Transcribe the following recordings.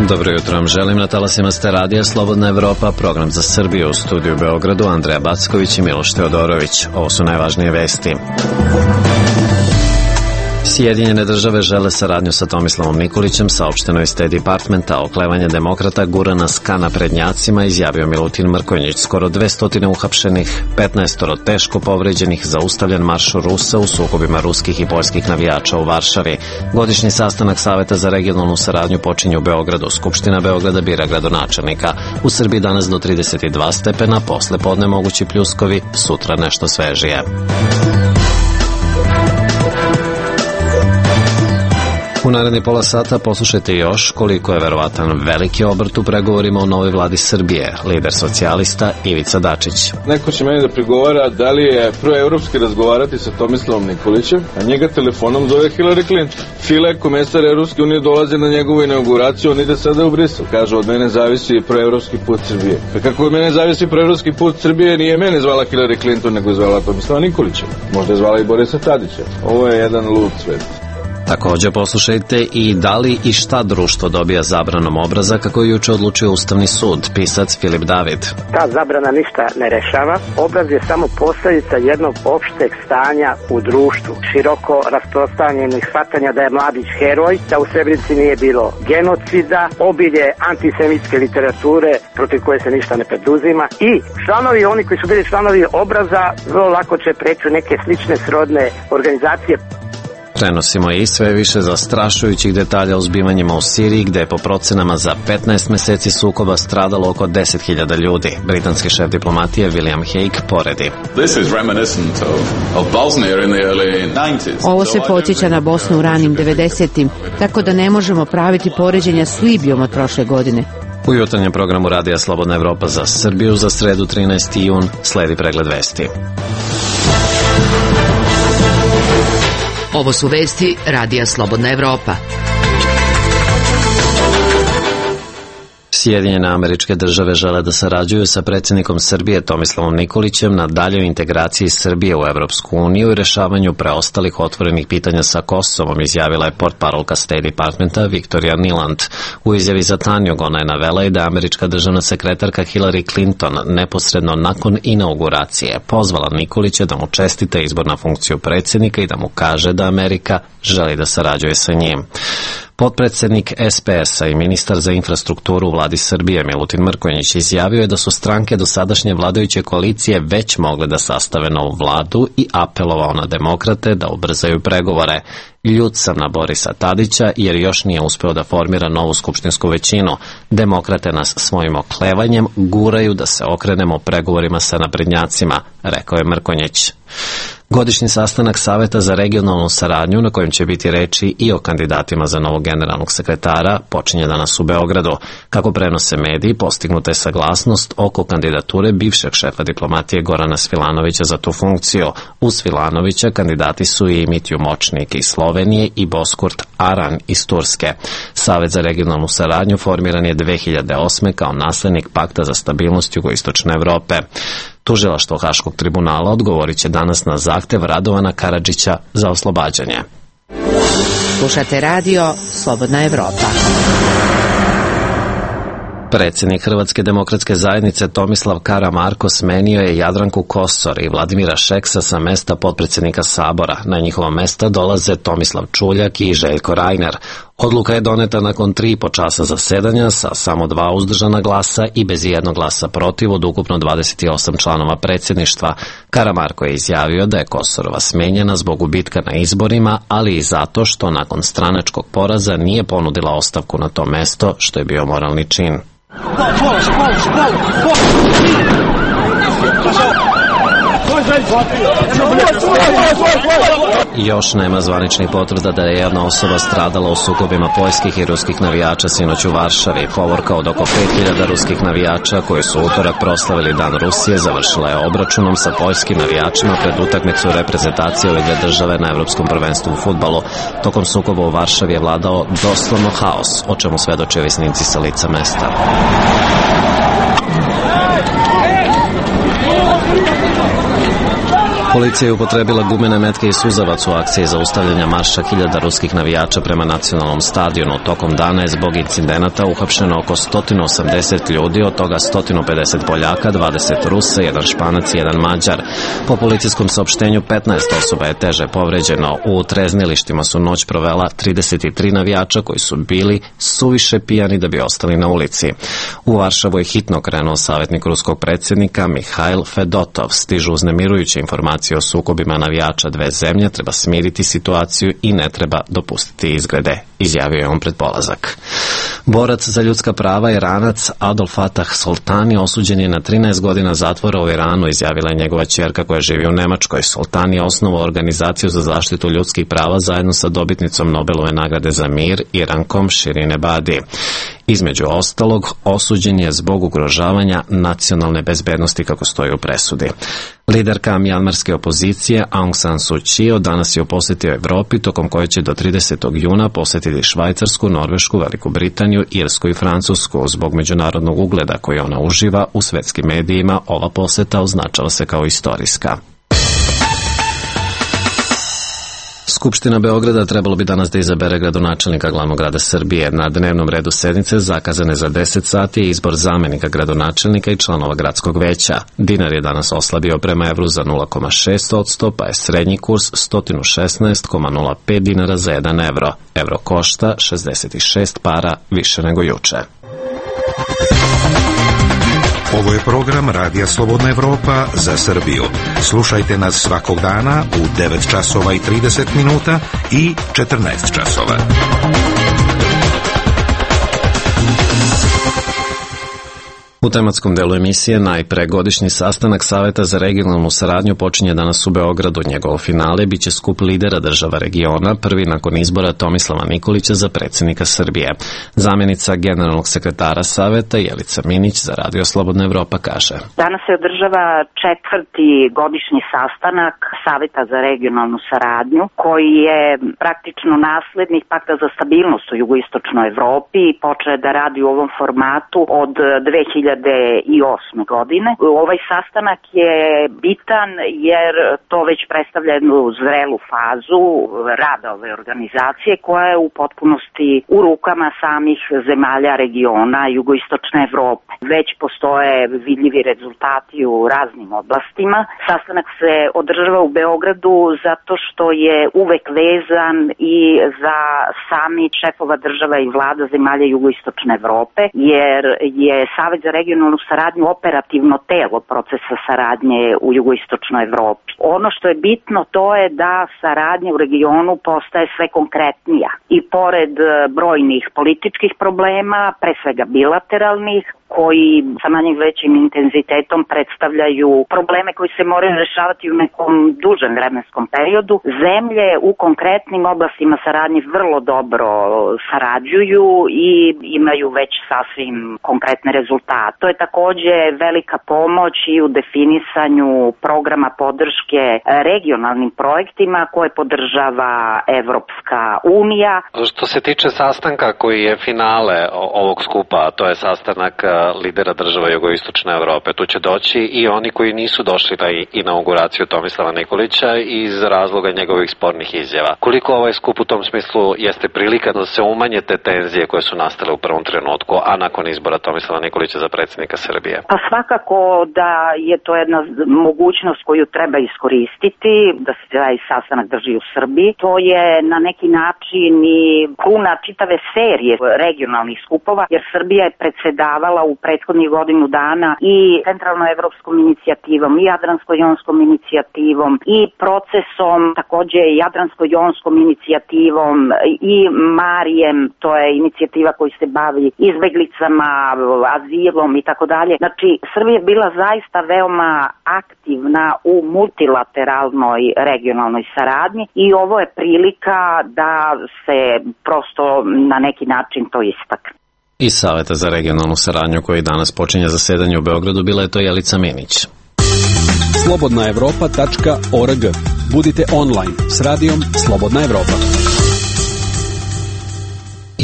Dobro jutro vam želim, na talasima ste radija Slobodna Evropa, program za Srbiju, u studiju u Beogradu Andreja Backović i Miloš Teodorović. Ovo su najvažnije vesti. Sjedinjene države žele saradnju sa Tomislavom Nikolićem, saopšteno iz State Departmenta. Oklevanje demokrata gura nas ka naprednjacima, izjavio Milutin Mrkonjić. Skoro 200 uhapšenih, 15 teško povređenih, zaustavljen marš Rusa u sukobima ruskih i poljskih navijača u Varšavi. Godišnji sastanak Saveta za regionalnu saradnju počinje u Beogradu. Skupština Beograda bira gradonačelnika. U Srbiji danas do 32 stepena, posle podne mogući pljuskovi, sutra nešto svežije. U naredni pola sata poslušajte još koliko je verovatan veliki obrt u pregovorima o novoj vladi Srbije. Lider socijalista Ivica Dačić. Neko će meni da prigovara da li je proevropski razgovarati sa Tomislavom Nikolićem, a njega telefonom zove Hillary Clinton. File, komesar Evropske unije, dolaze na njegovu inauguraciju, on ide sada u Brisel. Kaže, od mene zavisi proevropski put Srbije. A kako od mene zavisi proevropski put Srbije, nije mene zvala Hillary Clinton, nego je zvala Tomislava Nikolića. Možda je zvala i Borisa Tadića. Ovo je jedan lud svet. Također poslušajte i da li i šta društvo dobija zabranom obraza, kako je juče odlučio Ustavni sud, pisac Filip David. Ta zabrana ništa ne rešava, obraz je samo posljedica jednog opšteg stanja u društvu, široko rasprostranjenih shvatanja da je Mladić heroj, da u Srebrenici nije bilo genocida, obilje antisemitske literature protiv koje se ništa ne preduzima i članovi, oni koji su bili članovi obraza, vrlo lako će preći neke slične srodne organizacije. Prenosimo i sve više zastrašujućih detalja o zbivanjima u Siriji, gde je po procenama za 15 meseci sukoba stradalo oko 10.000 ljudi. Britanski šef diplomatije William Hague poredi. Ovo se podsjeća na Bosnu u ranim 90-im, tako da ne možemo praviti poređenja s Libijom od prošle godine. U jutarnjem programu Radija Slobodna Evropa za Srbiju za sredu 13. jun sledi pregled vesti. Ovo su vesti Radija Slobodna Evropa. Sjedinjene Američke Države žele da sarađuju sa predsjednikom Srbije Tomislavom Nikolićem na daljoj integraciji Srbije u Evropsku uniju i rešavanju preostalih otvorenih pitanja sa Kosovom, izjavila je portparolka State Departmenta Victoria Nuland. U izjavi za Tanjug ona je navela i da je američka državna sekretarka Hillary Clinton neposredno nakon inauguracije pozvala Nikolića da mu čestita izbor na funkciju predsjednika i da mu kaže da Amerika želi da sarađuje sa njim. Potpredsednik SPS-a i ministar za infrastrukturu u vladi Srbije Milutin Mrkonjić izjavio je da su stranke dosadašnje vladajuće koalicije već mogle da sastave novu vladu i apelovao na demokrate da ubrzaju pregovore. Ljut sam na Borisa Tadića jer još nije uspeo da formira novu skupštinsku većinu. Demokrate nas svojim oklevanjem guraju da se okrenemo pregovorima sa naprednjacima, rekao je Mrkonjić. Godišnji sastanak Saveta za regionalnu saradnju, na kojem će biti reči i o kandidatima za novog generalnog sekretara, počinje danas u Beogradu. Kako prenose mediji, postignuta je saglasnost oko kandidature bivšeg šefa diplomatije Gorana Svilanovića za tu funkciju. Uz Svilanovića kandidati su i Mitju Močnik iz Slovenije i Boskurt Aran iz Turske. Savet za regionalnu saradnju formiran je 2008. kao naslednik Pakta za stabilnost jugoistočne Evrope. Tužilaštvo Haškog tribunala odgovorit će danas na zahtev Radovana Karadžića za oslobađanje. Slušate radio Slobodna Evropa. Predsjednik Hrvatske demokratske zajednice Tomislav Karamarko smenio je Jadranku Kosor i Vladimira Šeksa sa mesta potpredsjednika Sabora. Na njihova mesta dolaze Tomislav Čuljak i Željko Reiner. Odluka je doneta nakon 3,5 časa zasedanja sa samo 2 uzdržana glasa i bez jednog glasa protiv od ukupno 28 članova predsjedništva. Karamarko je izjavio da je Kosorova smenjena zbog gubitka na izborima, ali i zato što nakon stranačkog poraza nije ponudila ostavku na to mesto, što je bio moralni čin. Još nema zvaničnih potvrda da je jedna osoba stradala u sukobima poljskih i ruskih navijača sinoć u Varšavi. Povorka od oko 5.000 ruskih navijača koji su utorak proslavili Dan Rusije završila je obračunom sa poljskim navijačima pred utakmicu reprezentacije ove dvije države na Evropskom prvenstvu u fudbalu. Tokom sukoba u Varšavi je vladao doslovno haos, o čemu svedoče ovi snimci sa lica mesta. Policija je upotrebila gumene metke i suzavac u akciji zaustavljanja marša hiljada ruskih navijača prema nacionalnom stadionu. Tokom dana je zbog incidenata uhapšeno oko 180 ljudi, od toga 150 Poljaka, 20 Rusa, 1 Španac i 1 Mađar. Po policijskom saopštenju 15 osoba je teže povređeno. U treznilištima su noć provela 33 navijača koji su bili suviše pijani da bi ostali na ulici. U Varšavu je hitno krenuo savjetnik ruskog predsjednika Mihail Fedotov. Stižu uznemirujuće informacije o sukobima navijača dve zemlje, treba smiriti situaciju i ne treba dopustiti izgrede, izjavio je on pred polazak. Borac za ljudska prava Iranac Adol Fatah Soltani osuđen je na 13 godina zatvora u Iranu, izjavila je njegova ćerka koja živi u Nemačkoj. Soltani je osnovao organizaciju za zaštitu ljudskih prava zajedno sa dobitnicom Nobelove nagrade za mir Irankom Shirin Ebadi. Između ostalog, osuđen je zbog ugrožavanja nacionalne bezbednosti, kako stoji u presudi. Liderka mjanmarske opozicije Aung San Suu Kyi danas je u posjeti Evropi, tokom koje će do 30. juna posjetiti Švajcarsku, Norvešku, Veliku Britaniju, Irsku i Francusku. Zbog međunarodnog ugleda koji ona uživa u svetskim medijima, ova posjeta označava se kao istorijska. Skupština Beograda trebalo bi danas da izabere gradonačelnika glavnog grada Srbije. Na dnevnom redu sednice zakazane za 10 sati je izbor zamenika gradonačelnika i članova gradskog veća. Dinar je danas oslabio prema evru za 0,6%, pa je srednji kurs 116,05 dinara za 1 evro. Evro košta 66 para više nego juče. Ovo je program Radija Slobodna Evropa za Srbiju. Slušajte nas svakog dana u 9 časova i 30 minuta i 14 časova. U tematskom delu emisije najpre godišnji sastanak Saveta za regionalnu saradnju počinje danas u Beogradu. Njegovo finale biće skup lidera država regiona, prvi nakon izbora Tomislava Nikolića za predsjednika Srbije. Zamjenica generalnog sekretara Saveta Jelica Minić za Radio Slobodna Evropa kaže: Danas se održava 4. godišnji sastanak Saveta za regionalnu saradnju, koji je praktično naslednik Pakta za stabilnost u jugoistočnoj Evropi i počeo da radi u ovom formatu od 2008. godine. Ovaj sastanak je bitan jer to već predstavlja jednu zrelu fazu rada ove organizacije koja je u potpunosti u rukama samih zemalja regiona jugoistočne Evrope. Već postoje vidljivi rezultati u raznim oblastima. Sastanak se održava u Beogradu zato što je uvek vezan i za sami šefova država i vlada zemalja jugoistočne Evrope, jer je Savet za regionalnu saradnju operativno telo procesa saradnje u jugoistočnoj Evropi. Ono što je bitno to je da saradnja u regionu postaje sve konkretnija i pored brojnih političkih problema, pre svega bilateralnih, koji sa manjim većim intenzitetom predstavljaju probleme koji se moraju rešavati u nekom dužem vremenskom periodu. Zemlje u konkretnim oblastima saradnje vrlo dobro sarađuju i imaju već sasvim konkretne rezultate. To je takođe velika pomoć i u definisanju programa podrške regionalnim projektima koje podržava Evropska unija. Što se tiče sastanka koji je finale ovog skupa, to je sastanak lidera država jugoistočne Evrope. Tu će doći i oni koji nisu došli na inauguraciju Tomislava Nikolića iz razloga njegovih spornih izjava. Koliko ovaj skup u tom smislu jeste prilika da se umanje te tenzije koje su nastale u prvom trenutku, a nakon izbora Tomislava Nikolića za predsjednika Srbije? Pa svakako da je to jedna mogućnost koju treba iskoristiti, da se taj sastanak drži u Srbiji. To je na neki način i kruna čitave serije regionalnih skupova, jer Srbija je predsedavala u prethodnih godinu dana i centralnoevropskom inicijativom i jadransko-jonskom inicijativom i procesom takođe jadransko-jonskom inicijativom i Marijem, to je inicijativa koji se bavi izbeglicama, azilom i tako dalje. Znači, Srbija je bila zaista veoma aktivna u multilateralnoj regionalnoj saradnji i ovo je prilika da se prosto na neki način to istakne. Iz Saveta za regionalnu saradnju koji danas počinje zasedanje u Beogradu bila je to Jelica Minić. slobodnaevropa.org. Budite online s radijom Slobodna Evropa.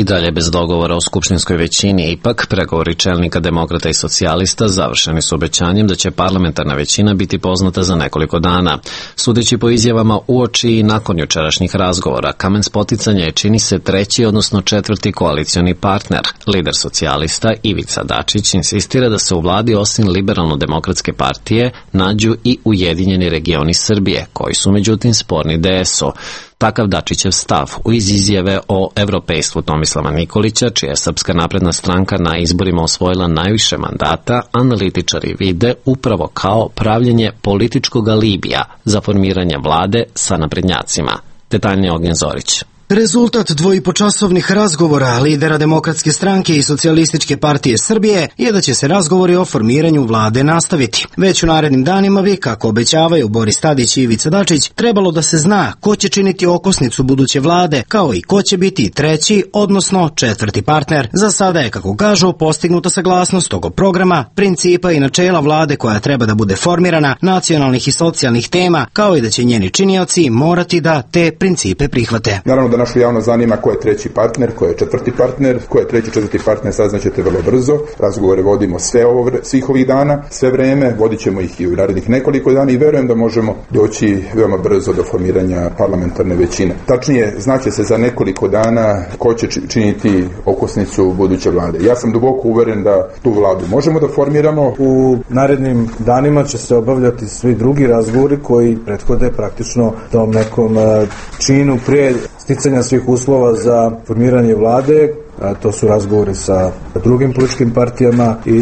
I dalje bez dogovora o skupštinskoj većini, ipak pregovori čelnika demokrata i socijalista završeni su obećanjem da će parlamentarna većina biti poznata za nekoliko dana. Sudeći po izjavama uoči i nakon jučerašnjih razgovora, kamen spoticanja je čini se treći, odnosno četvrti koalicioni partner. Lider socijalista Ivica Dačić insistira da se u vladi osim Liberalno-demokratske partije nađu i Ujedinjeni regioni Srbije, koji su međutim sporni DS-u. Takav Dačićev stav iz izjave o evropejstvu Tomislava Nikolića, čija je Srpska napredna stranka na izborima osvojila najviše mandata, analitičari vide upravo kao pravljenje političkog alibija za formiranje vlade sa naprednjacima. Detaljnije Ognjen Zorić. Rezultat dvojipočasovnih razgovora lidera Demokratske stranke i Socijalističke partije Srbije je da će se razgovori o formiranju vlade nastaviti. Već u narednim danima bi, kako obećavaju Boris Tadić i Ivica Dačić, trebalo da se zna ko će činiti okosnicu buduće vlade, kao i ko će biti treći, odnosno četvrti partner. Za sada je, kako kažu, postignuta saglasnost oko programa, principa i načela vlade koja treba da bude formirana, nacionalnih i socijalnih tema, kao i da će njeni činioci morati da te principe prihvate. Naravno da našu javnost zanima ko je treći partner, ko je četvrti partner, ko je treći, četvrti partner, saznaćete vrlo brzo. Razgovore vodimo svih ovih dana, sve vreme, vodit ćemo ih i u narednih nekoliko dana i verujem da možemo doći veoma brzo do formiranja parlamentarne većine. Tačnije, znaće se za nekoliko dana ko će činiti okosnicu buduće vlade. Ja sam duboko uveren da tu vladu možemo da formiramo. U narednim danima će se obavljati svi drugi razgovori koji prethode praktično tom nekom činu prije sticanja svih uslova za formiranje vlade. To su razgovori sa drugim političkim partijama i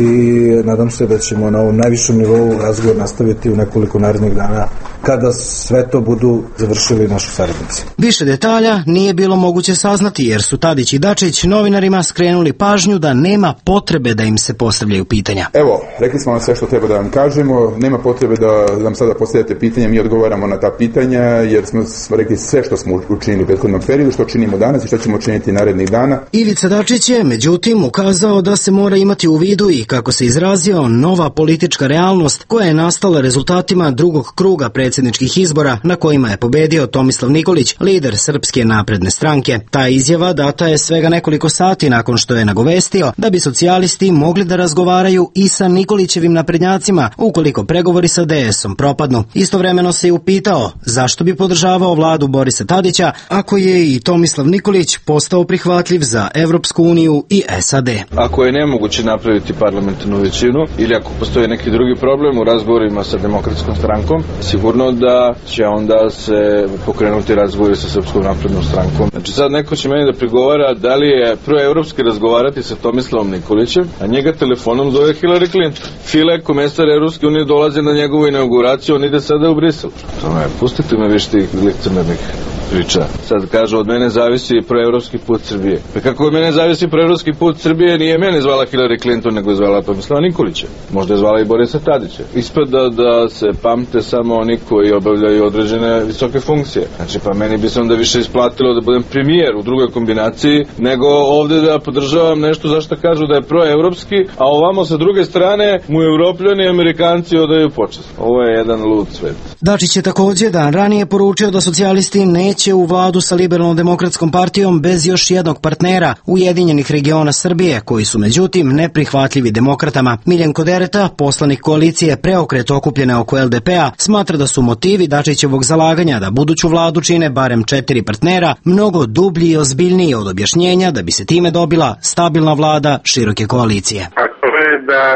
nadam se da ćemo na ovom najvišem nivou razgovor nastaviti u nekoliko narednih dana kada sve to budu završili naši saradnici. Više detalja nije bilo moguće saznati jer su Tadić i Dačić novinarima skrenuli pažnju da nema potrebe da im se postavljaju pitanja. Evo, rekli smo vam sve što treba da vam kažemo, nema potrebe da nam sada postavljate pitanja, mi odgovaramo na ta pitanja jer smo rekli sve što smo učinili u prethodnom periodu, što činimo danas i što ćemo učiniti narednih dana. Ivica Dačić je, međutim, ukazao da se mora imati u vidu i, kako se izrazio, nova politička realnost koja je nastala rezultatima drugog kruga predsjedničkih izbora na kojima je pobedio Tomislav Nikolić, lider Srpske napredne stranke. Ta izjava data je svega nekoliko sati nakon što je nagovestio da bi socijalisti mogli da razgovaraju i sa Nikolićevim naprednjacima ukoliko pregovori sa DS-om propadnu. Istovremeno se je upitao zašto bi podržavao vladu Borisa Tadića ako je i Tomislav Nikolić postao prihvatljiv za Evropsku uniju i SAD. Ako je nemoguće napraviti parlamentarnu većinu ili ako postoji neki drugi problem u razgovorima sa Demokratskom strankom, sigurno da će onda se pokrenuti razgovori sa Srpskom naprednom strankom. Znači sad neko će meni da prigovara da li je proevropski razgovarati sa Tomislavom Nikolićem, a njega telefonom zove Hillary Clinton. File, komesar Evropske unije, dolazi na njegovu inauguraciju, on ide sada u Brisel. Pustite me više tih licemernih priča. Sad kažu od mene zavisi proevropski put Srbije. Pa kako od mene zavisi proevropski put Srbije, nije mene zvala Hillary Clinton, nego je zvala Tomislava Nikolića. Možda je zvala i Borisa Tadića. Ispada da se pamte samo oni koji obavljaju određene visoke funkcije. Znači pa meni bi se onda više isplatilo da budem premijer u drugoj kombinaciji, nego ovde da podržavam nešto zašto kažu da je proevropski, a ovamo sa druge strane mu Evropljani i Amerikanci odaju počast. Ovo je jedan lud svet. Dačić je također dan ranije poručio da socijalisti neće u vladu sa Liberalno-demokratskom partijom bez još jednog partnera, Ujedinjenih regiona Srbije, koji su međutim neprihvatljivi demokratama. Miljenko Dereta, poslanik koalicije Preokret okupljene oko LDP-a, smatra da su motivi Dačićevog zalaganja da buduću vladu čine barem 4 partnera mnogo dublji i ozbiljniji od objašnjenja da bi se time dobila stabilna vlada široke koalicije. Da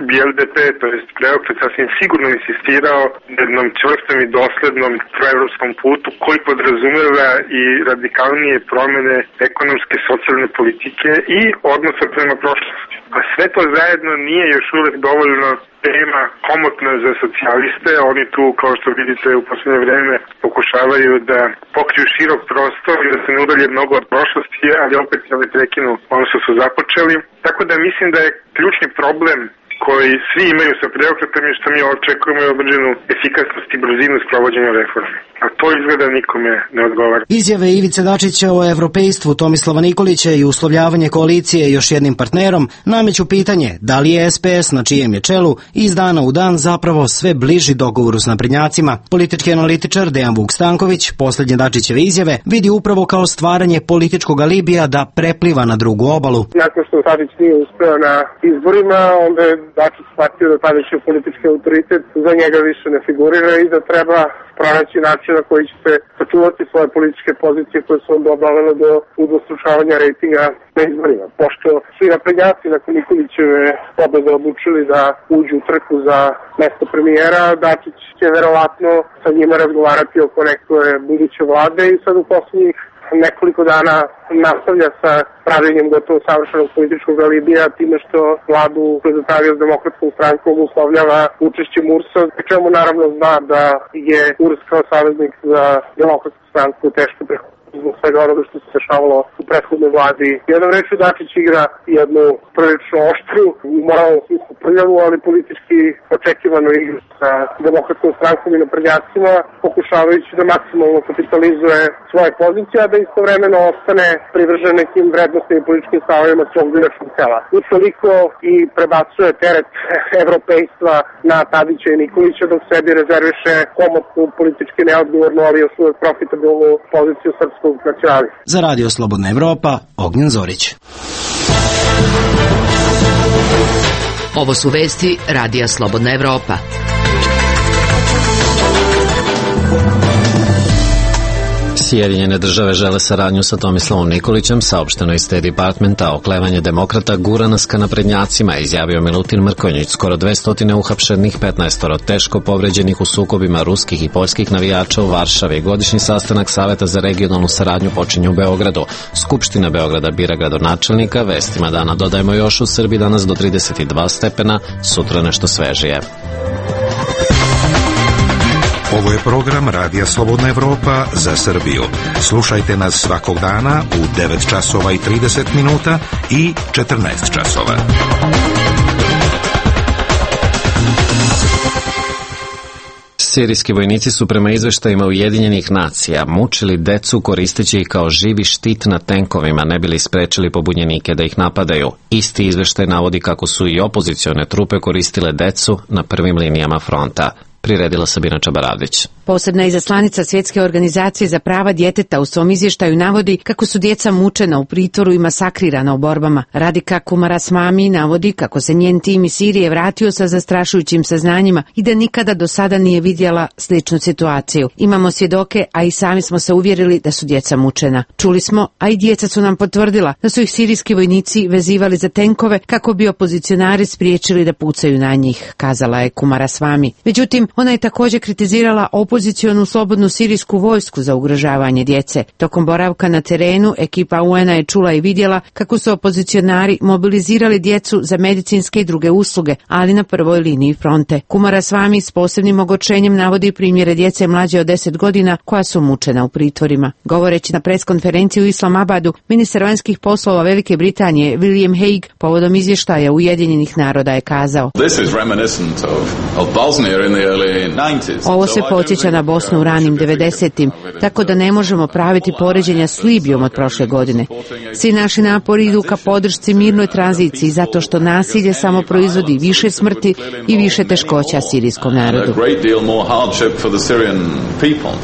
bi LDP, to jest Preokret, sasvim sigurno insistirao na jednom čvrstom i doslednom proevropskom putu koji podrazumeva i radikalnije promene ekonomske, socijalne politike i odnosa prema prošlosti. A sve to zajedno nije još uvek dovoljno tema komotna za socijaliste. Oni tu, kao što vidite, u poslednje vreme pokušavaju da pokriju širok prostor i da se ne udalje mnogo od prošlosti, ali opet ne prekinu ono što su započeli. Tako da mislim da je ključni problem koji svi imaju sa preokretom i što mi očekujemo je određenu efikasnost i brzinu sprovođenja reforme. A to izgleda nikome ne odgovara. Izjave Ivice Dačića o evropejstvu Tomislava Nikolića i uslovljavanje koalicije još jednim partnerom nameću pitanje da li je SPS na čijem je čelu iz dana u dan zapravo sve bliži dogovoru s naprednjacima. Politički analitičar Dejan Vuk Stanković posljednje Dačićeve izjave vidi upravo kao stvaranje političkog alibija da prepliva na drugu obalu. Nakon što Tadić nije uspeo na izborima, onda je Dačić shvatio da tadašnji politički autoritet za njega više ne figurira i da treba pronaći način na koji će se sačuvati svoje političke pozicije koje su onda dovele do udvostručavanja rejtinga na izborima. Pošto svi naprednjaci nakon Nikolićeve pobede odlučili da uđu u trku za mesto premijera, Dačić će verovatno sa njima razgovarati oko neke buduće vlade i sad u poslednjih nekoliko dana nastavlja sa pravljenjem gotovo savršenog političkog alibija time što vladu predstavio s Demokratskom strankom uslovljava učešćem URS-a, pri čemu naravno zna da je URS kao saveznik za Demokratsku stranku teško prihvatiti zbog svega onoga što se dešavalo u prethodnoj vladi. Jednom rečju Dačić igra jednu prilično oštru, moralno smislu prljavu, ali politički očekivanu igru sa Demokratskom strankom i naprednjacima, pokušavajući da maksimalno kapitalizuje svoje pozicije, a da istovremeno ostane privržen nekim vrednostnim i političkim stavovima svog biračkog tela. Utoliko i prebacuje teret evropejstva na Tadića i Nikolića, dok sebi rezerviše komotnu, politički neodgovornu, ali još uvek profitabilnu poziciju srpskog nacionalista. Za Radio Slobodna Evropa, Ognjen Zorić. Ovo su vesti Radija Slobodna Evropa. Sjedinjene države žele saradnju sa Tomislavom Nikolićem, saopšteno iz State Departmenta. Oklevanje demokrata gura nas ka naprednjacima, izjavio Milutin Mrkonjić. Skoro 200 uhapšenih, 15 teško povređenih u sukobima ruskih i poljskih navijača u Varšavi. Godišnji sastanak Saveta za regionalnu saradnju počinje u Beogradu. Skupština Beograda bira gradonačelnika. Vestima dana dodajemo još u Srbiji danas do 32 stepena, sutra nešto svežije. Ovo je program Radija Slobodna Evropa za Srbiju. Slušajte nas svakog dana u 9 časova i 30 minuta i 14 časova. Sirijski vojnici su prema izveštajima Ujedinjenih nacija mučili decu koristeći ih kao živi štit na tenkovima, ne bili sprečili pobunjenike da ih napadaju. Isti izveštaj navodi kako su i opozicione trupe koristile decu na prvim linijama fronta. Priredila Sabina Čabaravdić. Posebna izaslanica Svjetske organizacije za prava djeteta u svom izvještaju navodi kako su djeca mučena u pritvoru i masakrirana u borbama. Radika Kumaraswamy navodi kako se njen tim iz Sirije vratio sa zastrašujućim saznanjima i da nikada do sada nije vidjela sličnu situaciju. Imamo svjedoke, a i sami smo se uvjerili da su djeca mučena. Čuli smo, a i djeca su nam potvrdila da su ih sirijski vojnici vezivali za tenkove kako bi opozicionari spriječili da pucaju na njih, kazala je Kumaraswamy. Međutim, ona je također kritizirala opozicionu slobodnu sirijsku vojsku za ugrožavanje djece. Tokom boravka na terenu, ekipa UN-a je čula i vidjela kako su opozicionari mobilizirali djecu za medicinske i druge usluge, ali na prvoj liniji fronte. Kumaraswamy s posebnim ogorčenjem navodi primjere djece mlađe od 10 godina koja su mučena u pritvorima. Govoreći na preskonferenciji u Islamabadu, ministar vanjskih poslova Velike Britanije William Hague povodom izvještaja Ujedinjenih naroda je kazao: Ovo se podsjeća na Bosnu u ranim 90-im, tako da ne možemo praviti poređenja s Libijom od prošle godine. Svi naši napori idu ka podršci mirnoj tranziciji zato što nasilje samo proizvodi više smrti i više teškoća sirijskom narodu.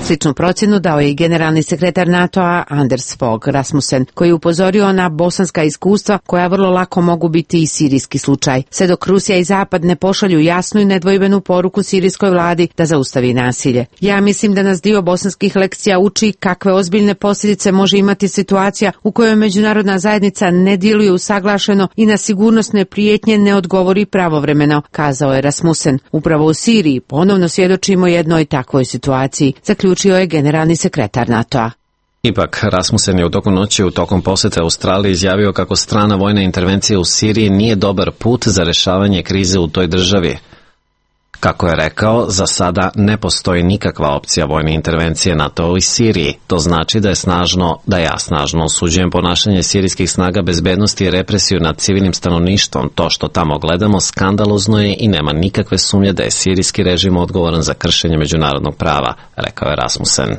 Sličnu procjenu dao je i generalni sekretar NATO-a Anders Fogh Rasmussen, koji je upozorio na bosanska iskustva koja vrlo lako mogu biti i sirijski slučaj. Sve dok Rusija i Zapad ne pošalju jasnu i nedvojbenu poruku sirijskoj vladi da zaustavi nasilje. Ja mislim da nas dio bosanskih lekcija uči kakve ozbiljne posljedice može imati situacija u kojoj međunarodna zajednica ne djeluje usaglašeno i na sigurnosne prijetnje ne odgovori pravovremeno, kazao je Rasmussen. Upravo u Siriji ponovno svjedočimo jednoj takvoj situaciji, zaključio je generalni sekretar NATO-a. Ipak, Rasmussen je u toku noći u tokom posjeta Australiji izjavio kako strana vojna intervencija u Siriji nije dobar put za rješavanje krize u toj državi. Kako je rekao, za sada ne postoji nikakva opcija vojne intervencije NATO u Siriji. To znači da ja snažno osuđujem ponašanje sirijskih snaga bezbednosti i represiju nad civilnim stanovništvom. To što tamo gledamo skandalozno je i nema nikakve sumnje da je sirijski režim odgovoran za kršenje međunarodnog prava, rekao je Rasmussen.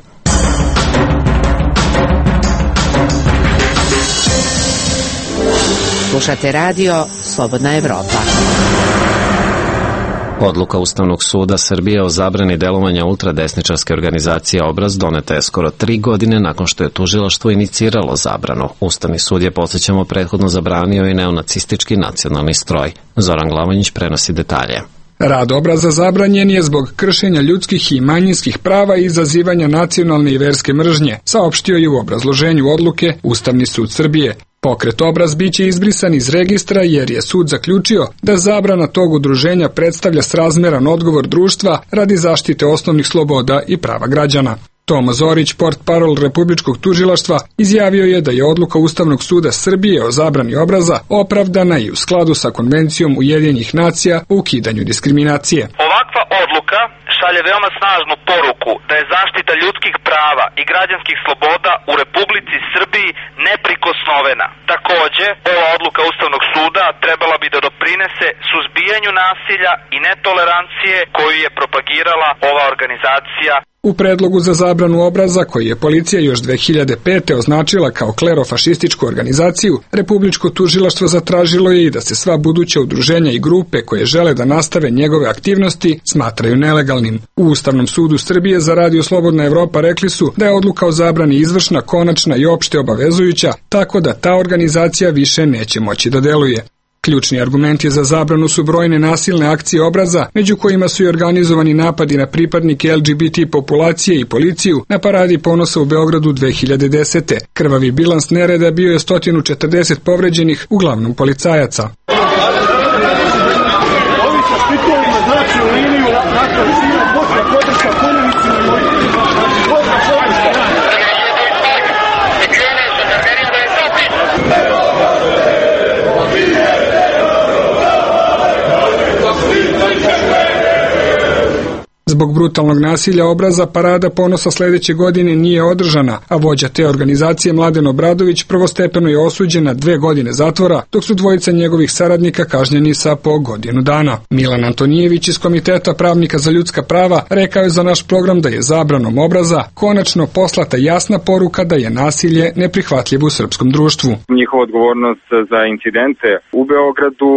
Slušate radio Slobodna Evropa. Odluka Ustavnog suda Srbije o zabrani delovanja ultradesničarske organizacije Obraz doneta je skoro 3 godine nakon što je tužilaštvo iniciralo zabranu. Ustavni sud je, podsjećamo, prethodno zabranio i neonacistički nacionalni stroj. Zoran Glavonjić prenosi detalje. Rad Obraza zabranjen je zbog kršenja ljudskih i manjinskih prava i izazivanja nacionalne i verske mržnje, saopštio je u obrazloženju odluke Ustavni sud Srbije. Pokret Obraz biće izbrisan iz registra jer je sud zaključio da zabrana tog udruženja predstavlja srazmeran odgovor društva radi zaštite osnovnih sloboda i prava građana. Tomo Zorić, portparol Republičkog tužilaštva, izjavio je da je odluka Ustavnog suda Srbije o zabrani Obraza opravdana i u skladu sa Konvencijom Ujedinjenih nacija o ukidanju diskriminacije. Ovakva odluka šalje veoma snažnu poruku da je zaštita ljudskih prava i građanskih sloboda u Republici Srbiji neprikosnovena. Takođe, ova odluka Ustavnog suda trebala bi da doprinese suzbijanju nasilja i netolerancije koju je propagirala ova organizacija. U predlogu za zabranu Obraza, koji je policija još 2005. označila kao klerofašističku organizaciju, Republičko tužilaštvo zatražilo je i da se sva buduća udruženja i grupe koje žele da nastave njegove aktivnosti smatraju nelegalnim. U Ustavnom sudu Srbije za Radio Slobodna Evropa rekli su da je odluka o zabrani izvršna, konačna i opšte obavezujuća, tako da ta organizacija više neće moći da deluje. Ključni argumenti za zabranu su brojne nasilne akcije Obraza, među kojima su i organizovani napadi na pripadnike LGBT populacije i policiju na Paradi ponosa u Beogradu 2010. Krvavi bilans nereda bio je 140 povređenih, uglavnom policajaca. Zbog brutalnog nasilja Obraza Parada ponosa sledeće godine nije održana, a vođa te organizacije Mladen Obradović prvostepeno je osuđen na 2 godine zatvora, dok su dvojica njegovih saradnika kažnjeni sa po godinu dana. Milan Antonijević iz Komiteta pravnika za ljudska prava rekao je za naš program da je zabranom Obraza konačno poslata jasna poruka da je nasilje neprihvatljivo u srpskom društvu. Njihova odgovornost za incidente u Beogradu,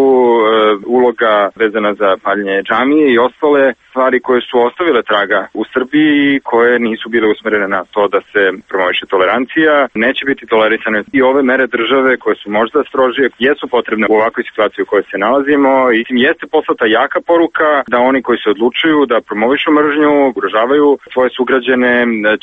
uloga vezana za paljenje džamije i ostale stvari koje su ostavile traga u Srbiji i koje nisu bile usmerene na to da se promoviše tolerancija, neće biti tolerisane i ove mere države koje su možda strožije, jesu potrebne u ovakvoj situaciji u kojoj se nalazimo i tim jeste poslata jaka poruka da oni koji se odlučuju da promovišu mržnju, ugrožavaju svoje sugrađane,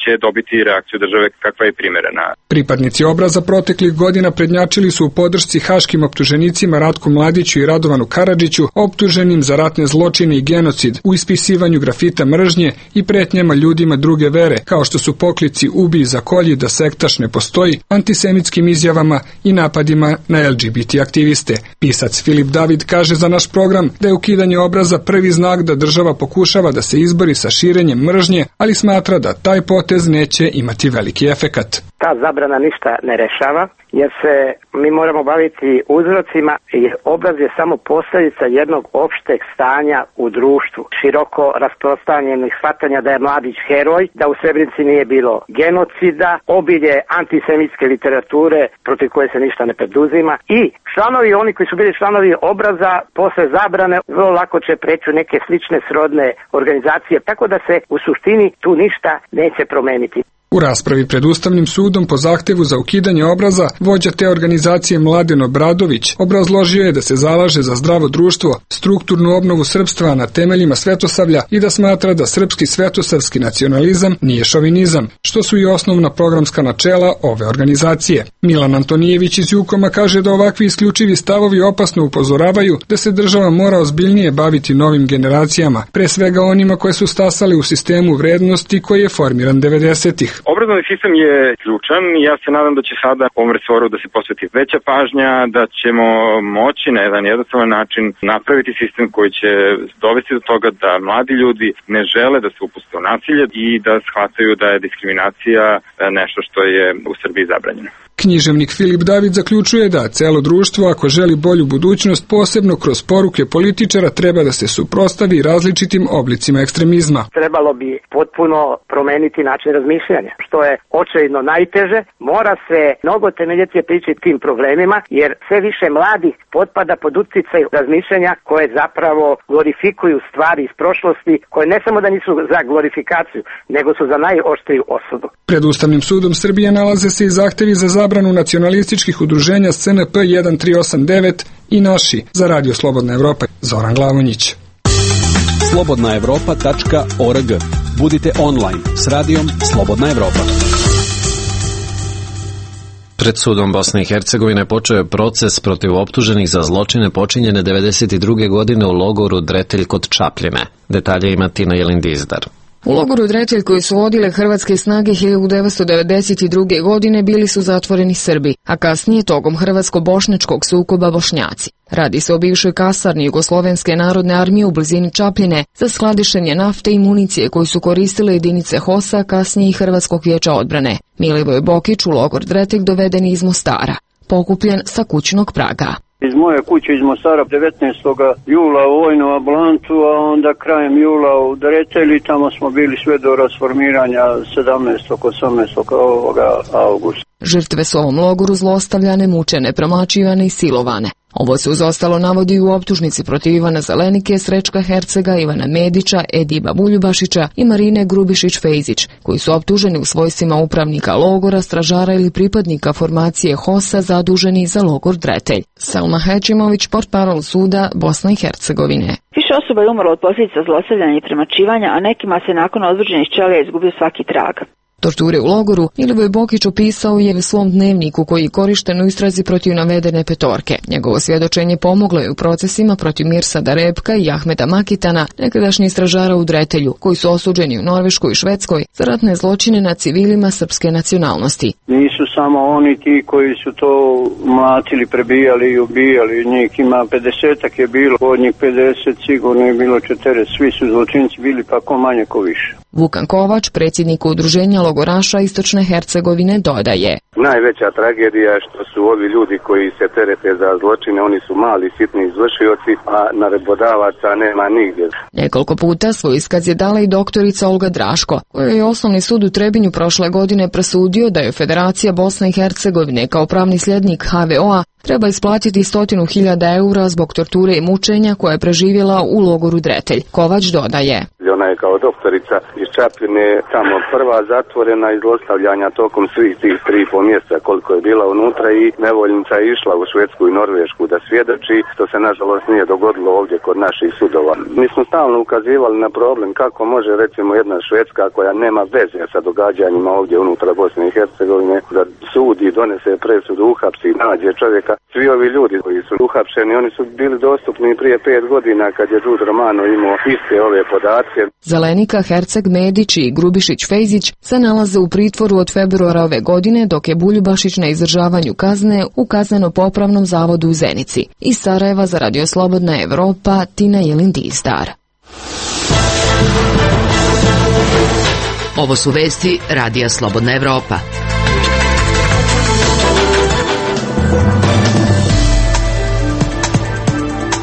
će dobiti reakciju države kakva je primerena. Pripadnici Obraza proteklih godina prednjačili su u podršci haškim optuženicima Ratku Mladiću i Radovanu Karadžiću, optuženim za ratne zločine i genocid, u ispisivanju grafita mržnje i pretnjama ljudima druge vere, kao što su poklici ubij za kolji da sektaš ne postoji, antisemitskim izjavama i napadima na LGBT aktiviste. Pisac Filip David kaže za naš program da je ukidanje Obraza prvi znak da država pokušava da se izbori sa širenjem mržnje, ali smatra da taj potez neće imati veliki efekat. Ta zabrana ništa ne rešava, jer se mi moramo baviti uzrocima i Obraz je samo posljedica jednog opšteg stanja u društvu. Široko rasprostranjenih shvatanja da je Mladić heroj, da u Srebrenici nije bilo genocida, obilje antisemitske literature protiv koje se ništa ne preduzima i članovi, oni koji su bili članovi Obraza, posle zabrane vrlo lako će preći u neke slične srodne organizacije, tako da se u suštini tu ništa neće promeniti. U raspravi pred Ustavnim sudom po zahtevu za ukidanje Obraza, vođa te organizacije Mladen Obradović obrazložio je da se zalaže za zdravo društvo, strukturnu obnovu srpstva na temeljima svetosavlja i da smatra da srpski svetosavski nacionalizam nije šovinizam, što su i osnovna programska načela ove organizacije. Milan Antonijević iz Jukoma kaže da ovakvi isključivi stavovi opasno upozoravaju da se država mora ozbiljnije baviti novim generacijama, pre svega onima koje su stasale u sistemu vrednosti koji je formiran 90-ih. Obrazovni sistem je ključan i ja se nadam da će sada ovom resoru da se posveti veća pažnja, da ćemo moći na jedan jednostavan način napraviti sistem koji će dovesti do toga da mladi ljudi ne žele da se upuste u nasilje i da shvataju da je diskriminacija nešto što je u Srbiji zabranjeno. Književnik Filip David zaključuje da celo društvo, ako želi bolju budućnost, posebno kroz poruke političara, treba da se suprotstavi različitim oblicima ekstremizma. Trebalo bi potpuno promeniti način razmišljanja, što je očajno najteže. Mora se mnogo temeljitije pričati tim problemima, jer sve više mladih potpada pod uticaj razmišljanja koje zapravo glorifikuju stvari iz prošlosti, koje ne samo da nisu za glorifikaciju, nego su za najoštriju osudu. Pred Ustavnim sudom Srbije nalaze se i zahtevi za zabranu nacionalističkih udruženja SNP 1389 i Naši. Za Radio Slobodna Evropa, Zoran Glavonjić. slobodnaevropa.org. Budite online s radijom Slobodna Evropa. Pred sudom Bosne i Hercegovine počeo je proces protiv optuženih za zločine počinjene 1992. godine u logoru Dretelj kod Čapljine. Detalje ima Tina Jelindizdar. U logoru Dretelj koji su vodile hrvatske snage 1992. godine bili su zatvoreni Srbi, a kasnije tokom hrvatsko-bošnjačkog sukoba Bošnjaci. Radi se o bivšoj kasarni Jugoslovenske narodne armije u blizini Čapljine za skladištenje nafte i municije koju su koristile jedinice HOS-a, kasnije i Hrvatskog vijeća odbrane. Milivoj Bokić u logor Dretelj doveden iz Mostara, pokupljen sa kućnog praga. Iz moje kuće iz Mostara 19. jula u vojnu ambulantu, a onda krajem jula u Dretelji, tamo smo bili sve do rasformiranja 17. 18. augusta. Žrtve su u ovom logoru zlostavljane, mučene, promlaćivane i silovane. Ovo se uz ostalo navodi u optužnici protiv Ivana Zelenike, Srećka Hercega, Ivana Medića, Ediba Buljubašića i Marine Grubišić-Fejzić, koji su optuženi u svojstvima upravnika logora, stražara ili pripadnika formacije HOS-a zaduženi za logor Dretelj. Selma Hećimović, portparol suda Bosne i Hercegovine. Više osoba je umrlo od posljedica zlostavljanja i premačivanja, a nekima se nakon odvođenih ćelija izgubio svaki trag. Torture u logoru Milivoj Bokić opisao je u svom dnevniku koji je korišten u istrazi protiv navedene petorke. Njegovo svjedočenje pomoglo je u procesima protiv Mirsada Repka i Ahmeda Makitana, nekadašnji istražara u Dretelju, koji su osuđeni u Norveškoj i Švedskoj za ratne zločine nad civilima srpske nacionalnosti. Nisu samo oni ti koji su to mlatili, prebijali i ubijali. Njih ima 50-ak je bilo, od njih 50 sigurno je bilo 40. Svi su zločinci bili, pa ko manje ko više. Vukan Kovač, predsjednik udruženja logoraša Istočne Hercegovine, dodaje: Najveća tragedija je što su ovi ljudi koji se terete za zločine, oni su mali, sitni izvršioci, a naredbodavaca nema nigdje. Nekoliko puta svoj iskaz je dala i doktorica Olga Draško, kojoj je Osnovni sud u Trebinju prošle godine presudio da je Federacija Bosne i Hercegovine kao pravni sljednik HVO-a treba isplatiti 100.000 eura zbog torture i mučenja koje je preživjela u logoru Dretelj. Kovač dodaje: Ona je kao doktorica iz Čapljine tamo prva zatvorena iz zlostavljanja tokom svih tih 3,5 mjeseca koliko je bila unutra i nevoljnica je išla u Švedsku i Norvešku da svjedoči, što se nažalost nije dogodilo ovdje kod naših sudova. Mi smo stalno ukazivali na problem kako može recimo jedna Švedska koja nema veze sa događanjima ovdje unutra Bosne i Hercegovine da sudi, donese presudu, uhapsi, nađe čovjeka. Svi ovi ljudi koji su uhapšeni, oni su bili dostupni prije 5 godina kad je Đud Romano imao iste ove podatke. Zelenika, Herceg, Medić i Grubišić-Fejzić se nalaze u pritvoru od februara ove godine, dok je Buljubašić na izdržavanju kazne u kazneno-popravnom zavodu u Zenici. Iz Sarajeva za Radio Slobodna Evropa, Tina Jelindizdar. Ovo su vesti Radija Slobodna Evropa.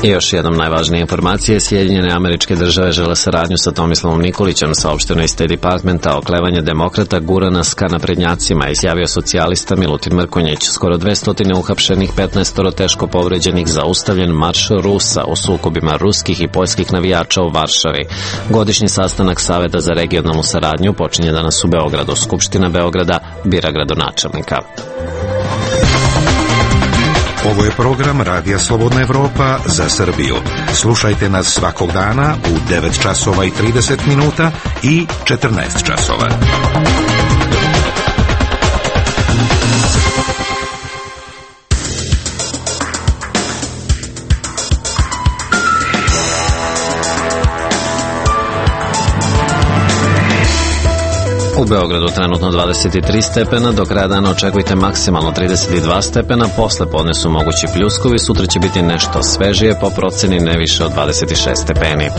I još jednom najvažnije informacije: Sjedinjene Američke Države žele saradnju sa Tomislavom Nikolićem, saopšteno iz State Departmenta. Oklevanje demokrata gura nas ka naprednjacima, izjavio socijalista Milutin Mrkonjić. Skoro 200 uhapšenih, 15 teško povređenih, zaustavljen marš Rusa u sukobima ruskih i poljskih navijača u Varšavi. Godišnji sastanak Saveta za regionalnu saradnju počinje danas u Beogradu. Skupština Beograda bira gradonačelnika. Ovo je program Radija Slobodna Evropa za Srbiju. Slušajte nas svakog dana u 9 časova i 30 minuta i 14 časova. U U Beogradu trenutno 23 stepena, do kraja dana očekujte maksimalno 32 stepena, posle podne su mogući pljuskovi, sutra će biti nešto svežije, po proceni ne više od 26 stepeni.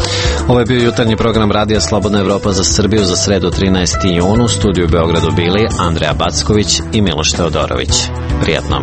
Ovo je bio jutarnji program Radija Slobodna Evropa za Srbiju za sredu 13. junu. U studiju u Beogradu bili Andreja Backović i Miloš Teodorović. Prijatno.